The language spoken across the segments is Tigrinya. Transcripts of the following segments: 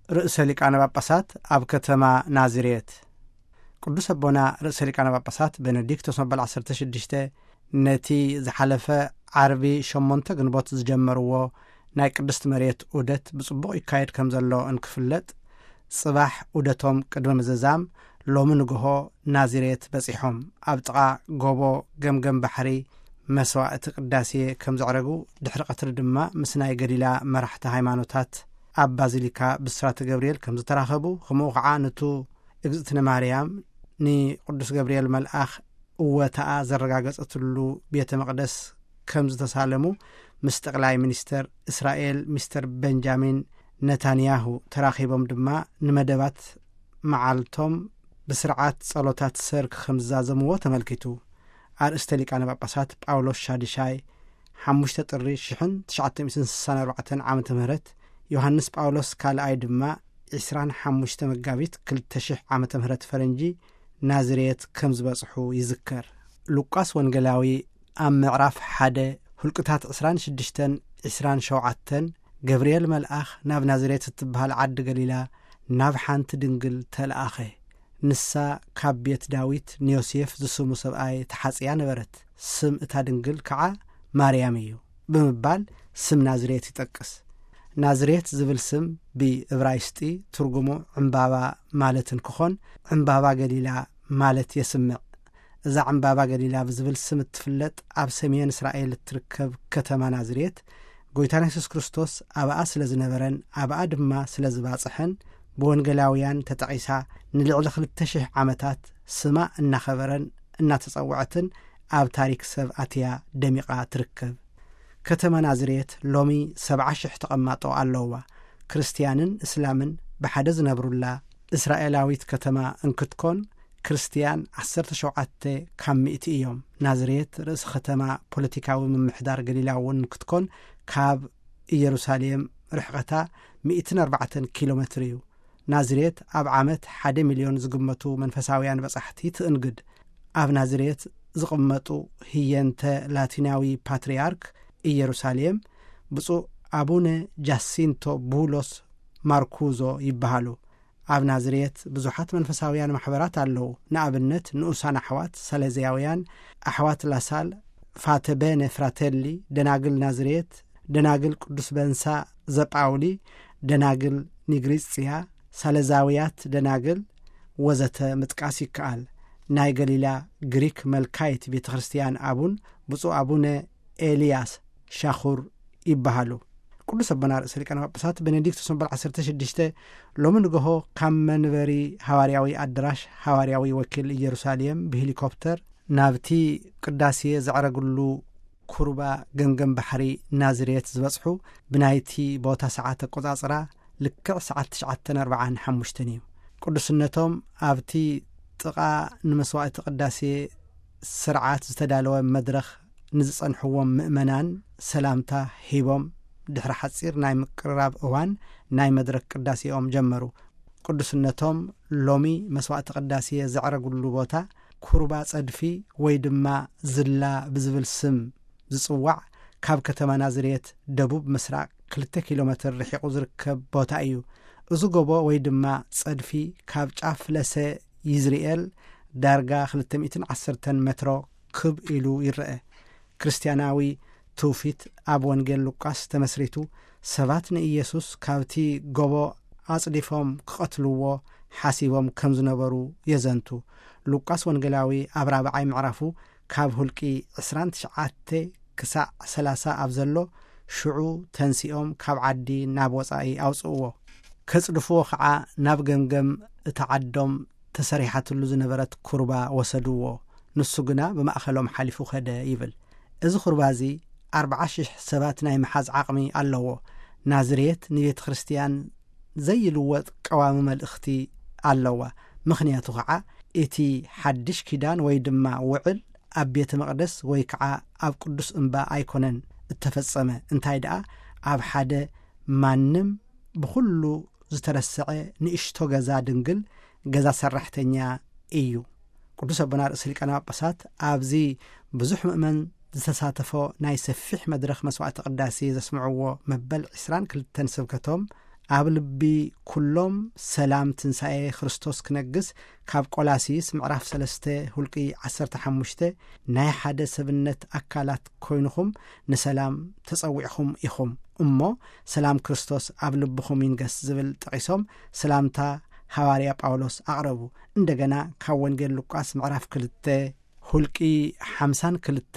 ርእሰ ሊቃነ ጳጳሳት ኣብ ከተማ ናዝሬት። ቅዱስ ኣቦና ርእሰ ሊቃነ ጳጳሳት ቤኔዲክቶስ መበል ዓሰርተ ሽዱሽተ ነቲ ዝሓለፈ ዓርቢ ሸሞንተ ግንቦት ዝጀመርዎ ናይ ቅድስቲ መሬት ዑደት ብጽቡቕ ይካየድ ከም ዘሎ እንክፍለጥ፣ ጽባሕ ዑደቶም ቅድሚ ምዝዛም ሎሚ ንግሆ ናዝሬት በጺሖም። ኣብ ጥቓ ጎቦ ገምገም ባሕሪ መስዋዕቲ ቅዳሴ ከም ዘዕረጉ፣ ድሕሪ ቀትሪ ድማ ምስ ናይ ገሊላ መራሕቲ ሃይማኖታት ኣብ ባዚሊካ ብስራተ ገብርኤል ከም ዝተራኸቡ፣ ከምኡ ከዓ ንቱ እግዝእትነ ማርያም ንቅዱስ ገብርኤል መልኣኽ እወታኣ ዘረጋገጸትሉ ቤተ መቕደስ ከም ዝተሳለሙ፣ ምስ ጠቕላይ ሚኒስተር እስራኤል ሚስተር ቤንጃሚን ነታንያሁ ተራኺቦም ድማ ንመደባት መዓልቶም ብስርዓት ጸሎታት ሰርክ ከም ዝዛዘምዎ ተመልኪቱ። ኣርእስተ ሊቃነ ጳጳሳት ጳውሎስ ሻድሻይ፣ ሓሙሽተ ጥሪ ሽሕን ትሽዓተ ሚእትን ስሳን ኣርባዕተን ዓመተ ምህረት፣ ዮሃንስ ጳውሎስ ካልኣይ ድማ ዒስራን ሓሙሽተ መጋቢት ክልተ ሽሕ ዓመተ ምህረት ፈረንጂ ናዝሬት ከም ዝበጽሑ ይዝከር። ሉቃስ ወንጌላዊ ኣብ ምዕራፍ ሓደ፣ ሁልቅታት ዕስራን ሽዱሽተን ዒስራን ሸውዓተን፣ ገብርኤል መልኣኽ ናብ ናዝሬት እትበሃል ዓዲ ገሊላ ናብ ሓንቲ ድንግል ተለኣኸ። ንሳ ካብ ቤት ዳዊት ንዮሴፍ ዝስሙ ሰብኣይ ተሓጽያ ነበረት። ስም እታ ድንግል ከዓ ማርያም እዩ ብምባል ስም ናዝሬት ይጠቅስ። ናዝሬት ዝብል ስም ብእብራይስጢ ትርጉሙ ዕምባባ ማለት እንክኾን፣ ዕምባባ ገሊላ ማለት የስምዕ። እዛ ዕምባባ ገሊላ ብዝብል ስም እትፍለጥ ኣብ ሰሜን እስራኤል እትርከብ ከተማ ናዝሬት፣ ጎይታና የሱስ ክርስቶስ ኣብኣ ስለ ዝነበረን ኣብኣ ድማ ስለ ዝባጽሐን፣ ብወንጌላውያን ተጠቒሳ ንልዕሊ ክልተ ሽሕ ዓመታት ስማ እናኸበረን እናተጸውዐትን ኣብ ታሪክ ሰብ ኣትያ ደሚቓ ትርከብ። ከተማ ናዝሬት ሎሚ ሰብዓ ሽሕ ተቐማጦ ኣለዋ። ክርስትያንን እስላምን ብሓደ ዝነብሩላ እስራኤላዊት ከተማ እንክትኮን፣ ክርስትያን ዓሰርተ ሸውዓተ ካብ ሚእቲ እዮም። ናዝሬት ርእሲ ከተማ ፖለቲካዊ ምምሕዳር ገሊላ እውን እንክትኮን፣ ካብ ኢየሩሳሌም ርሕቐታ ሚእትን ኣርባዕተን ኪሎ ሜትር እዩ። ናዝሬት ኣብ ዓመት ሓደ ሚልዮን ዝግመቱ መንፈሳውያን በጻሕቲ ትእንግድ። ኣብ ናዝሬት ዝቕመጡ ህየንተ ላቲናዊ ፓትርያርክ ኢየሩሳሌም ብፁዕ ኣቡነ ጃሲንቶ ቡሎስ ማርኩዞ ይበሃሉ። ኣብ ናዝሬት ብዙሓት መንፈሳውያን ማሕበራት ኣለዉ። ንኣብነት፣ ንኡሳን ኣሕዋት ሳሌዝያውያን፣ ኣሕዋት ላሳል፣ ፋተቤነ ፍራቴሊ፣ ደናግል ናዝሬት፣ ደናግል ቅዱስ በንሳ ዘጳውሊ፣ ደናግል ኒግሪጽያ፣ ሳሌዛውያት ደናግል ወዘተ ምጥቃስ ይከኣል። ናይ ገሊላ ግሪክ መልካይት ቤተ ክርስቲያን ኣቡን ብፁዕ ኣቡነ ኤልያስ ሻኹር ይበሃሉ። ቅዱስ ኣቦና ርእሰ ሊቃነ ጳጳሳት ቤኔዲክቶስ መበል ዓሰርተ ሽዱሽተ ሎሚ ንግሆ ካብ መንበሪ ሃዋርያዊ ኣደራሽ ሃዋርያዊ ወኪል ኢየሩሳሌም ብሄሊኮፕተር ናብቲ ቅዳሴ ዘዕረግሉ ኩርባ ገምገም ባሕሪ ናዝሬት ዝበጽሑ ብናይቲ ቦታ ሰዓት ኣቆጻጽራ ልክዕ ሰዓት ትሽዓተን ኣርባዓን ሓሙሽተን እዩ። ቅዱስነቶም ኣብቲ ጥቓ ንመስዋዕቲ ቅዳሴ ስርዓት ዝተዳለወ መድረኽ ንዝጸንሕዎም ምእመናን ሰላምታ ሂቦም፣ ድሕሪ ሓጺር ናይ ምቅርራብ እዋን ናይ መድረኽ ቅዳሴኦም ጀመሩ። ቅዱስነቶም ሎሚ መስዋዕቲ ቅዳሴ ዘዕረግሉ ቦታ ኩርባ ጸድፊ ወይ ድማ ዝላ ብዝብል ስም ዝጽዋዕ፣ ካብ ከተማ ናዝሬት ደቡብ ምስራቕ ክልተ ኪሎ ሜትር ርሒቑ ዝርከብ ቦታ እዩ። እዚ ጎቦ ወይ ድማ ጸድፊ ካብ ጫፍ ለሰ ይዝርኤል ዳርጋ ክልተ ሚእትን ዓሰርተን ሜትሮ ክብ ኢሉ ይረአ። ክርስትያናዊ ትውፊት ኣብ ወንጌል ሉቃስ ተመስሪቱ፣ ሰባት ንኢየሱስ ካብቲ ጎቦ ኣጽዲፎም ክቐትልዎ ሓሲቦም ከም ዝነበሩ የዘንቱ። ሉቃስ ወንጌላዊ ኣብ ራብዓይ ምዕራፉ ካብ ሁልቂ ዕስራን ትሽዓተ ክሳዕ ሰላሳ ኣብ ዘሎ፣ ሽዑ ተንሲኦም ካብ ዓዲ ናብ ወጻኢ ኣውጽእዎ። ከጽድፍዎ ኸዓ ናብ ገምገም እታ ዓዶም ተሰሪሓትሉ ዝነበረት ኩርባ ወሰድዎ። ንሱ ግና ብማእከሎም ሓሊፉ ኸደ ይብል። እዚ ኩርባ እዚ ኣርብዓ ሽሕ ሰባት ናይ ምሓዝ ዓቕሚ ኣለዎ። ናዝሬት ንቤተ ክርስትያን ዘይልወጥ ቀዋሚ መልእኽቲ ኣለዋ። ምኽንያቱ ኸዓ እቲ ሓድሽ ኪዳን ወይ ድማ ውዕል ኣብ ቤተ መቕደስ ወይ ከዓ ኣብ ቅዱስ እምባ ኣይኮነን እተፈጸመ። እንታይ ደኣ፣ ኣብ ሓደ ማንም ብኹሉ ዝተረስዐ ንእሽቶ ገዛ ድንግል ገዛ ሰራሕተኛ እዩ። ቅዱስ ኣቦና ርእሰ ሊቃነ ጳጳሳት ኣብዚ ብዙሕ ምእመን ዝተሳተፎ ናይ ሰፊሕ መድረኽ መስዋዕቲ ቅዳሴ ዘስምዕዎ መበል ዕስራን ክልተን ስብከቶም፣ ኣብ ልቢ ኩሎም ሰላም ትንሳኤ ክርስቶስ ክነግስ፣ ካብ ቆላሲስ ምዕራፍ ሰለስተ ሁልቂ ዓሰርተ ሓሙሽተ፣ ናይ ሓደ ሰብነት ኣካላት ኮይንኹም ንሰላም ተጸዊዕኹም ኢኹም እሞ፣ ሰላም ክርስቶስ ኣብ ልብኹም ይንገስ ዝብል ጠቒሶም፣ ሰላምታ ሃዋርያ ጳውሎስ ኣቕረቡ። እንደገና ካብ ወንጌል ሉቃስ ምዕራፍ ክልተ፣ ሁልቂ ሓምሳን ክልተ፣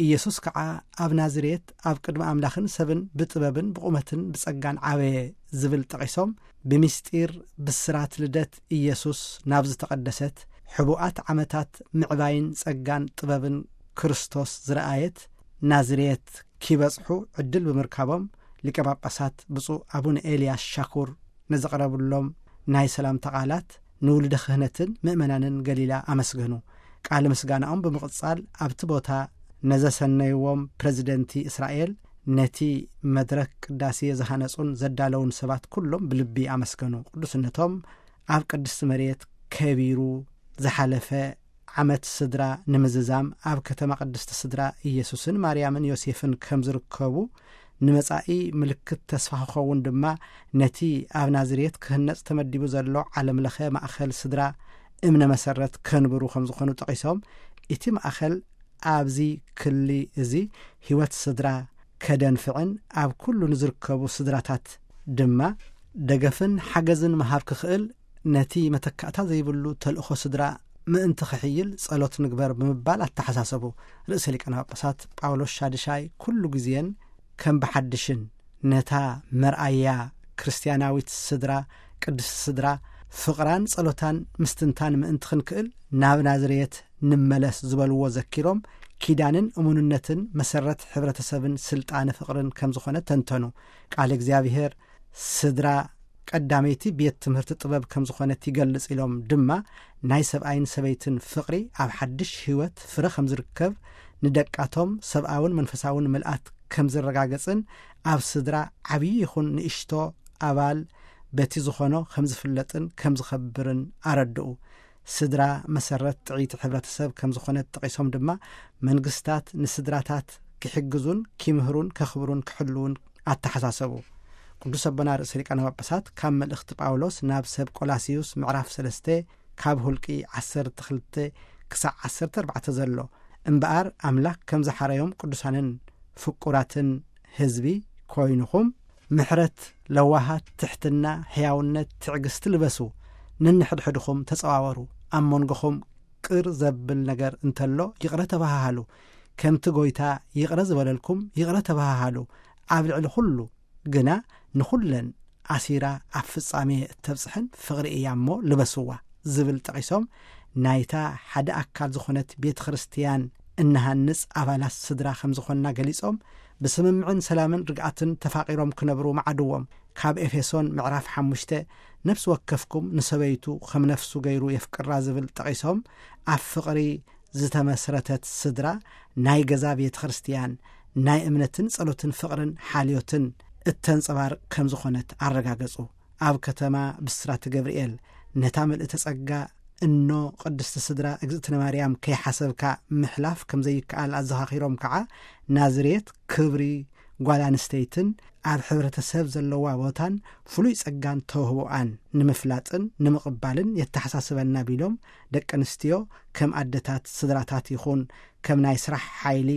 ኢየሱስ ከዓ ኣብ ናዝሬት ኣብ ቅድሚ ኣምላኽን ሰብን ብጥበብን ብቑመትን ብጸጋን ዓበየ ዝብል ጠቒሶም፣ ብምስጢር ብስራት ልደት ኢየሱስ ናብ ዝተቐደሰት፣ ሕቡኣት ዓመታት ምዕባይን ጸጋን ጥበብን ክርስቶስ ዝረኣየት ናዝሬት ኪበጽሑ ዕድል ብምርካቦም፣ ሊቀ ጳጳሳት ብፁዕ ኣቡነ ኤልያስ ሻኩር ንዘቕረብሎም ናይ ሰላምታ ቃላት ንውሉደ ክህነትን ምእመናንን ገሊላ ኣመስገኑ። ቃል ምስጋናኦም ብምቕጻል ኣብቲ ቦታ ነዘሰነይዎም ፕረዚደንቲ እስራኤል፣ ነቲ መድረክ ቅዳሴ ዝሃነጹን ዘዳለውን ሰባት ኩሎም ብልቢ ኣመስገኑ። ቅዱስነቶም ኣብ ቅድስቲ መሬት ከቢሩ ዝሓለፈ ዓመት ስድራ ንምዝዛም ኣብ ከተማ ቅድስቲ ስድራ ኢየሱስን ማርያምን ዮሴፍን ከም ዝርከቡ፣ ንመጻኢ ምልክት ተስፋ ክኸውን ድማ ነቲ ኣብ ናዝሬት ክህነጽ ተመዲቡ ዘሎ ዓለምለኸ ማእከል ስድራ እምነ መሰረት ከንብሩ ከም ዝኾኑ ጠቒሶም፣ እቲ ማእከል ኣብዚ ክሊ እዚ ህይወት ስድራ ከደንፍዕን ኣብ ኩሉ ንዝርከቡ ስድራታት ድማ ደገፍን ሓገዝን ምሃብ ክኽእል፣ ነቲ መተካእታ ዘይብሉ ተልእኾ ስድራ ምእንቲ ክሕይል ጸሎት ንግበር ብምባል ኣተሓሳሰቡ። ርእሰ ሊቃነ ጳጳሳት ጳውሎስ ሻድሻይ ኩሉ ግዜን ከም ብሓድሽን ነታ መርኣያ ክርስትያናዊት ስድራ፣ ቅድስቲ ስድራ፣ ፍቕራን ጸሎታን ምስትንታን ምእንቲ ክንክእል ናብ ናዝሬት ንመለስ ዝበልዎ ዘኪሮም፣ ኪዳንን እሙንነትን መሰረት ሕብረተሰብን ስልጣነ ፍቕርን ከም ዝኾነ ተንተኑ። ቃል እግዚኣብሔር ስድራ ቀዳመይቲ ቤት ትምህርቲ ጥበብ ከም ዝኾነት ይገልጽ ኢሎም ድማ፣ ናይ ሰብኣይን ሰበይትን ፍቕሪ ኣብ ሓድሽ ህይወት ፍረ ከም ዝርከብ፣ ንደቃቶም ሰብኣውን መንፈሳውን ምልኣት ከም ዝረጋገጽን፣ ኣብ ስድራ ዓብዪ ይኹን ንእሽቶ ኣባል በቲ ዝኾኖ ከም ዝፍለጥን ከም ዝኸብርን ኣረድኡ። ስድራ መሰረት ጥዕይቲ ሕብረተሰብ ከም ዝኾነት ጠቒሶም ድማ፣ መንግስታት ንስድራታት ክሕግዙን ኪምህሩን ከኽብሩን ክሕልውን ኣተሓሳሰቡ። ቅዱስ ኣቦና ርእሰ ሊቃነ ጳጳሳት ካብ መልእኽቲ ጳውሎስ ናብ ሰብ ቆላስዩስ ምዕራፍ ሰለስተ ካብ ሁልቂ ዓሰርተ ክልተ ክሳዕ ዓሰርተ ኣርባዕተ ዘሎ፣ እምበኣር ኣምላክ ከም ዝሓረዮም ቅዱሳንን ፍቁራትን ህዝቢ ኮይንኹም፣ ምሕረት፣ ለዋሃት፣ ትሕትና፣ ሕያውነት፣ ትዕግስቲ ልበሱ። ነንሕድሕድኹም ተጸዋወሩ። ኣብ መንጎኹም ቅር ዘብል ነገር እንተሎ ይቕረ ተባሃሃሉ። ከምቲ ጎይታ ይቕረ ዝበለልኩም ይቕረ ተባሃሃሉ። ኣብ ልዕሊ ኩሉ ግና ንኹለን ኣሲራ ኣብ ፍጻሜ እተብጽሐን ፍቕሪ እያ እሞ ልበስዋ ዝብል ጠቒሶም፣ ናይታ ሓደ ኣካል ዝኾነት ቤተ ክርስትያን እንሃንጽ ኣባላት ስድራ ከም ዝኾንና ገሊጾም፣ ብስምምዕን ሰላምን ርግኣትን ተፋቒሮም ክነብሩ መዓድዎም። ካብ ኤፌሶን ምዕራፍ ሓሙሽተ፣ ነፍሲ ወከፍኩም ንሰበይቱ ከም ነፍሱ ገይሩ የፍቅራ ዝብል ጠቒሶም፣ ኣብ ፍቕሪ ዝተመስረተት ስድራ ናይ ገዛ ቤተ ክርስትያን ናይ እምነትን ጸሎትን ፍቕርን ሓልዮትን እተንጸባርቕ ከም ዝኾነት ኣረጋገጹ። ኣብ ከተማ ብስራተ ገብርኤል ነታ ምልእተ ጸጋ እኖ ቅድስቲ ስድራ እግዝእትነ ማርያም ከይሓሰብካ ምሕላፍ ከም ዘይከኣል ኣዘኻኺሮም፣ ከዓ ናዝሬት ክብሪ ጓል ኣንስተይትን ኣብ ሕብረተሰብ ዘለዋ ቦታን ፍሉይ ጸጋን ተውህቦኣን ንምፍላጥን ንምቕባልን የተሓሳስበና ቢሎም፣ ደቂ ኣንስትዮ ከም ኣደታት ስድራታት ይኹን ከም ናይ ስራሕ ሓይሊ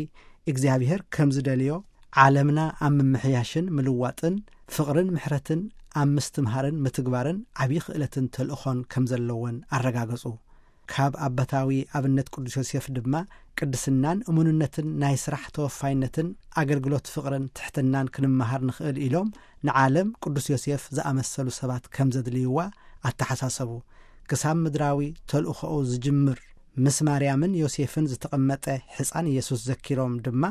እግዚኣብሔር ከም ዝደልዮ፣ ዓለምና ኣብ ምምሕያሽን ምልዋጥን ፍቕርን ምሕረትን ኣብ ምስትምሃርን ምትግባርን ዓብዪ ክእለትን ተልእኾን ከም ዘለወን ኣረጋገጹ። ካብ ኣባታዊ ኣብነት ቅዱስ ዮሴፍ ድማ ቅድስናን እሙንነትን ናይ ስራሕ ተወፋይነትን ኣገልግሎት ፍቕርን ትሕትናን ክንመሃር ንኽእል ኢሎም ንዓለም ቅዱስ ዮሴፍ ዝኣመሰሉ ሰባት ከም ዘድልይዋ ኣተሓሳሰቡ። ክሳብ ምድራዊ ተልእኾኡ ዝጅምር ምስ ማርያምን ዮሴፍን ዝተቐመጠ ሕፃን ኢየሱስ ዘኪሮም ድማ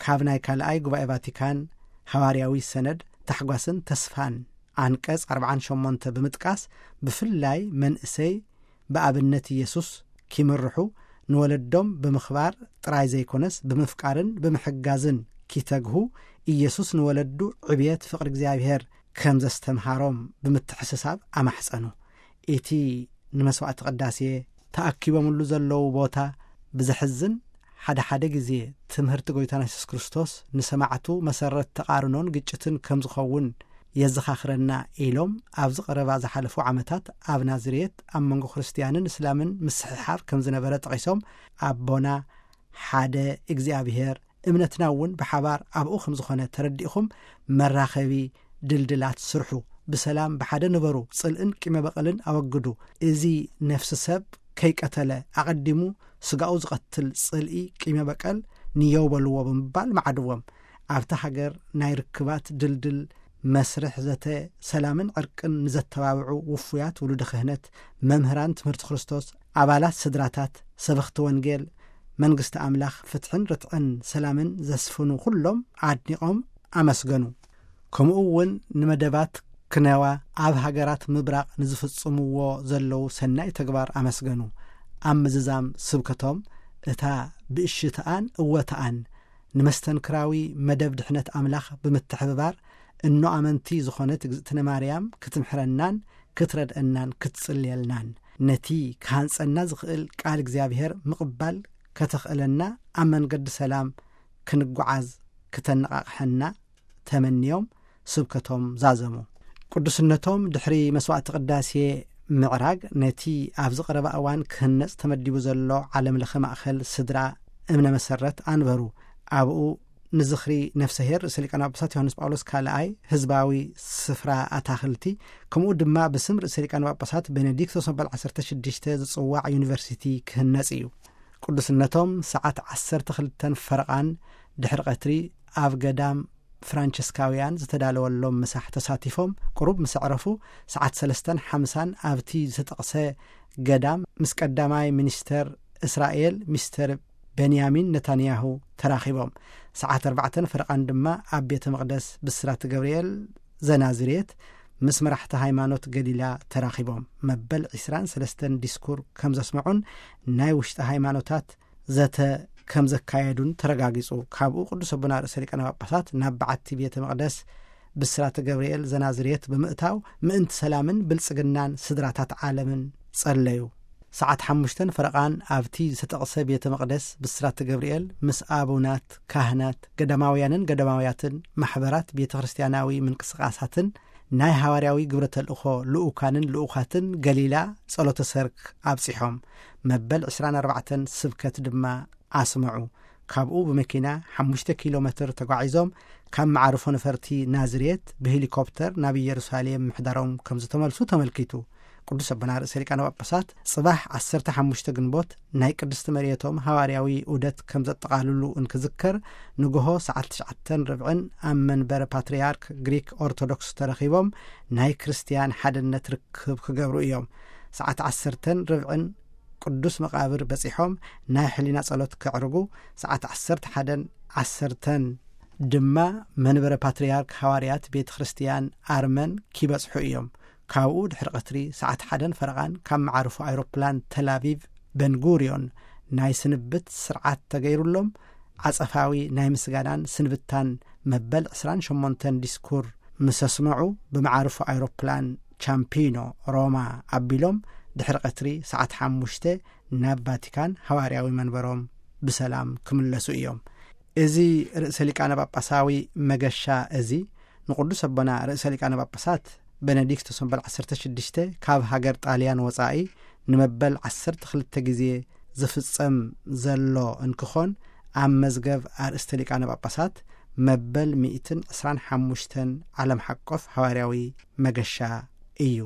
ካብ ናይ ካልኣይ ጉባኤ ቫቲካን ሃዋርያዊ ሰነድ ታሕጓስን ተስፋን ዓንቀጽ ኣርብዓን ሸሞንተ ብምጥቃስ፣ ብፍላይ መንእሰይ ብኣብነት ኢየሱስ ኪምርሑ፣ ንወለዶም ብምኽባር ጥራይ ዘይኮነስ ብምፍቃርን ብምሕጋዝን ኪተግሁ፣ ኢየሱስ ንወለዱ ዕብየት ፍቕሪ እግዚኣብሔር ከም ዘስተምሃሮም ብምትሕስሳብ ኣማሕጸኑ። እቲ ንመስዋዕቲ ቅዳሴ ተኣኪቦምሉ ዘለዉ ቦታ ብዘሕዝን፣ ሓደ ሓደ ግዜ ትምህርቲ ጎይታና የሱስ ክርስቶስ ንሰማዕቱ መሰረት ተቓርኖን ግጭትን ከም ዝኸውን የዘኻኽረና ኢሎም፣ ኣብዚ ቀረባ ዝሓለፉ ዓመታት ኣብ ናዝሬት ኣብ መንጎ ክርስትያንን እስላምን ምስሕሓብ ከም ዝነበረ ጠቒሶም፣ ኣቦና ሓደ እግዚኣብሔር፣ እምነትና እውን ብሓባር ኣብኡ ከም ዝኾነ ተረዲእኹም፣ መራኸቢ ድልድላት ስርሑ፣ ብሰላም ብሓደ ንበሩ፣ ጽልእን ቂመ በቐልን ኣወግዱ። እዚ ነፍሲ ሰብ ከይቀተለ ኣቐዲሙ ስጋኡ ዝቐትል ጽልኢ፣ ቂመ በቀል ንየው በልዎ ብምባል መዓድዎም። ኣብታ ሃገር ናይ ርክባት ድልድል መስርሕ ዘተ ሰላምን ዕርቅን ንዘተባብዑ ውፉያት ውሉደ ክህነት፣ መምህራን ትምህርቲ ክርስቶስ፣ ኣባላት ስድራታት፣ ሰበኽቲ ወንጌል፣ መንግስቲ ኣምላኽ፣ ፍትሕን ርትዕን ሰላምን ዘስፍኑ ኩሎም ኣድኒቖም ኣመስገኑ። ከምኡ እውን ንመደባት ክነዋ ኣብ ሃገራት ምብራቕ ንዝፍጽምዎ ዘለዉ ሰናይ ተግባር ኣመስገኑ። ኣብ ምዝዛም ስብከቶም፣ እታ ብእሽትኣን እወትኣን ንመስተንክራዊ መደብ ድሕነት ኣምላኽ ብምትሕብባር፣ እኖ ኣመንቲ ዝኾነት እግዝእትነ ማርያም ክትምሕረናን ክትረድአናን ክትጽልየልናን፣ ነቲ ክሃንጸና ዝኽእል ቃል እግዚኣብሔር ምቕባል ከተኽእለና፣ ኣብ መንገዲ ሰላም ክንጓዓዝ ክተነቓቕሐና ተመንዮም ስብከቶም ዛዘሙ። ቅዱስነቶም ድሕሪ መስዋዕቲ ቅዳሴ ምዕራግ፣ ነቲ ኣብዚ ቀረባ እዋን ክህነጽ ተመዲቡ ዘሎ ዓለም ለኸ ማእከል ስድራ እምነ መሰረት ኣንበሩ። ኣብኡ ንዝኽሪ ነፍሰሄር ርእሰ ሊቃነ ጳጳሳት ዮሃንስ ጳውሎስ ካልኣይ ህዝባዊ ስፍራ ኣታኽልቲ፣ ከምኡ ድማ ብስም ርእሰ ሊቃነ ጳጳሳት ቤኔዲክቶስ መበል ዓሰርተ ሽዱሽተ ዝጽዋዕ ዩኒቨርሲቲ ክህነጽ እዩ። ቅዱስነቶም ሰዓት ዓሰርተ ክልተን ፈረቓን ድሕሪ ቀትሪ ኣብ ገዳም ፍራንቸስካውያን ዝተዳለወሎም ምሳሕ ተሳቲፎም፣ ቅሩብ ምስ ኣዕረፉ፣ ሰዓት ሰለስተን ሓምሳን ኣብቲ ዝተጠቕሰ ገዳም ምስ ቀዳማይ ሚኒስተር እስራኤል ሚስተር ቤንያሚን ነታንያሁ ተራኺቦም። ሰዓት ኣርባዕተን ፈረቓን ድማ ኣብ ቤተ መቕደስ ብስራት ገብርኤል ዘናዝሬት ምስ መራሕቲ ሃይማኖት ገሊላ ተራኺቦም፣ መበል ዕስራን ሰለስተን ዲስኩር ከም ዘስምዑን ናይ ውሽጢ ሃይማኖታት ዘተ ከም ዘካየዱን ተረጋጊጹ። ካብኡ ቅዱስ ኣቦና ርእሰ ሊቃነ ጳጳሳት ናብ በዓቲ ቤተ መቕደስ ብስራተ ገብርኤል ዘናዝሬት ብምእታው፣ ምእንቲ ሰላምን ብልጽግናን ስድራታት ዓለምን ጸለዩ። ሰዓት ሓሙሽተን ፈረቓን ኣብቲ ዝተጠቕሰ ቤተ መቕደስ ብስራተ ገብርኤል ምስ ኣቡናት፣ ካህናት፣ ገዳማውያንን ገዳማውያትን፣ ማሕበራት ቤተ ክርስቲያናዊ ምንቅስቓሳትን ናይ ሃዋርያዊ ግብረ ተልእኾ ልኡካንን ልኡኻትን ገሊላ ጸሎተ ሰርክ ኣብጺሖም፣ መበል ዕስራን ኣርባዕተን ስብከት ድማ ኣስምዑ። ካብኡ ብመኪና ሓሙሽተ ኪሎ ሜትር ተጓዒዞም፣ ካብ መዓርፎ ነፈርቲ ናዝሬት ብሄሊኮፕተር ናብ ኢየሩሳሌም ምሕዳሮም ከም ዝተመልሱ ተመልኪቱ። ቅዱስ ኣቦና ርእሰ ሊቃነ ጳጳሳት ጽባሕ ዓሰርተ ሓሙሽተ ግንቦት ናይ ቅድስቲ መሬቶም ሃዋርያዊ ዑደት ከም ዘጠቓልሉ እንክዝከር፣ ንግሆ ሰዓት ትሽዓተን ርብዕን ኣብ መንበረ ፓትርያርክ ግሪክ ኦርቶዶክስ ተረኺቦም ናይ ክርስትያን ሓድነት ርክብ ክገብሩ እዮም። ሰዓት ዓሰርተን ርብዕን ቅዱስ መቓብር በጺሖም ናይ ሕሊና ጸሎት ከዕርጉ፣ ሰዓት ዓሰርተ ሓደን ዓሰርተን ድማ መንበረ ፓትርያርክ ሃዋርያት ቤተ ክርስትያን ኣርመን ኪበጽሑ እዮም። ካብኡ ድሕሪ ቀትሪ ሰዓት ሓደን ፈረቓን ካብ መዓርፎ ኣይሮፕላን ተላቪቭ በንጉርዮን ናይ ስንብት ስርዓት ተገይሩሎም፣ ዓጸፋዊ ናይ ምስጋናን ስንብታን መበል ዕስራን ሸሞንተን ዲስኩር ምስ ኣስመዑ፣ ብመዓርፎ ኣይሮፕላን ቻምፒኖ ሮማ ኣቢሎም ድሕሪ ቀትሪ ሰዓት ሓሙሽተ ናብ ቫቲካን ሃዋርያዊ መንበሮም ብሰላም ክምለሱ እዮም። እዚ ርእሰ ሊቃነ ጳጳሳዊ መገሻ እዚ ንቅዱስ ኣቦና ርእሰ ሊቃነ ጳጳሳት ቤኔዲክቶስ መበል ዓሰርተ ሽዱሽተ ካብ ሃገር ጣልያን ወጻኢ ንመበል ዓሰርተ ክልተ ግዜ ዝፍጸም ዘሎ እንክኾን፣ ኣብ መዝገብ ኣርእስተ ሊቃነ ጳጳሳት መበል ሚእትን ዕስራን ሓሙሽተን ዓለም ሓቆፍ ሃዋርያዊ መገሻ እዩ።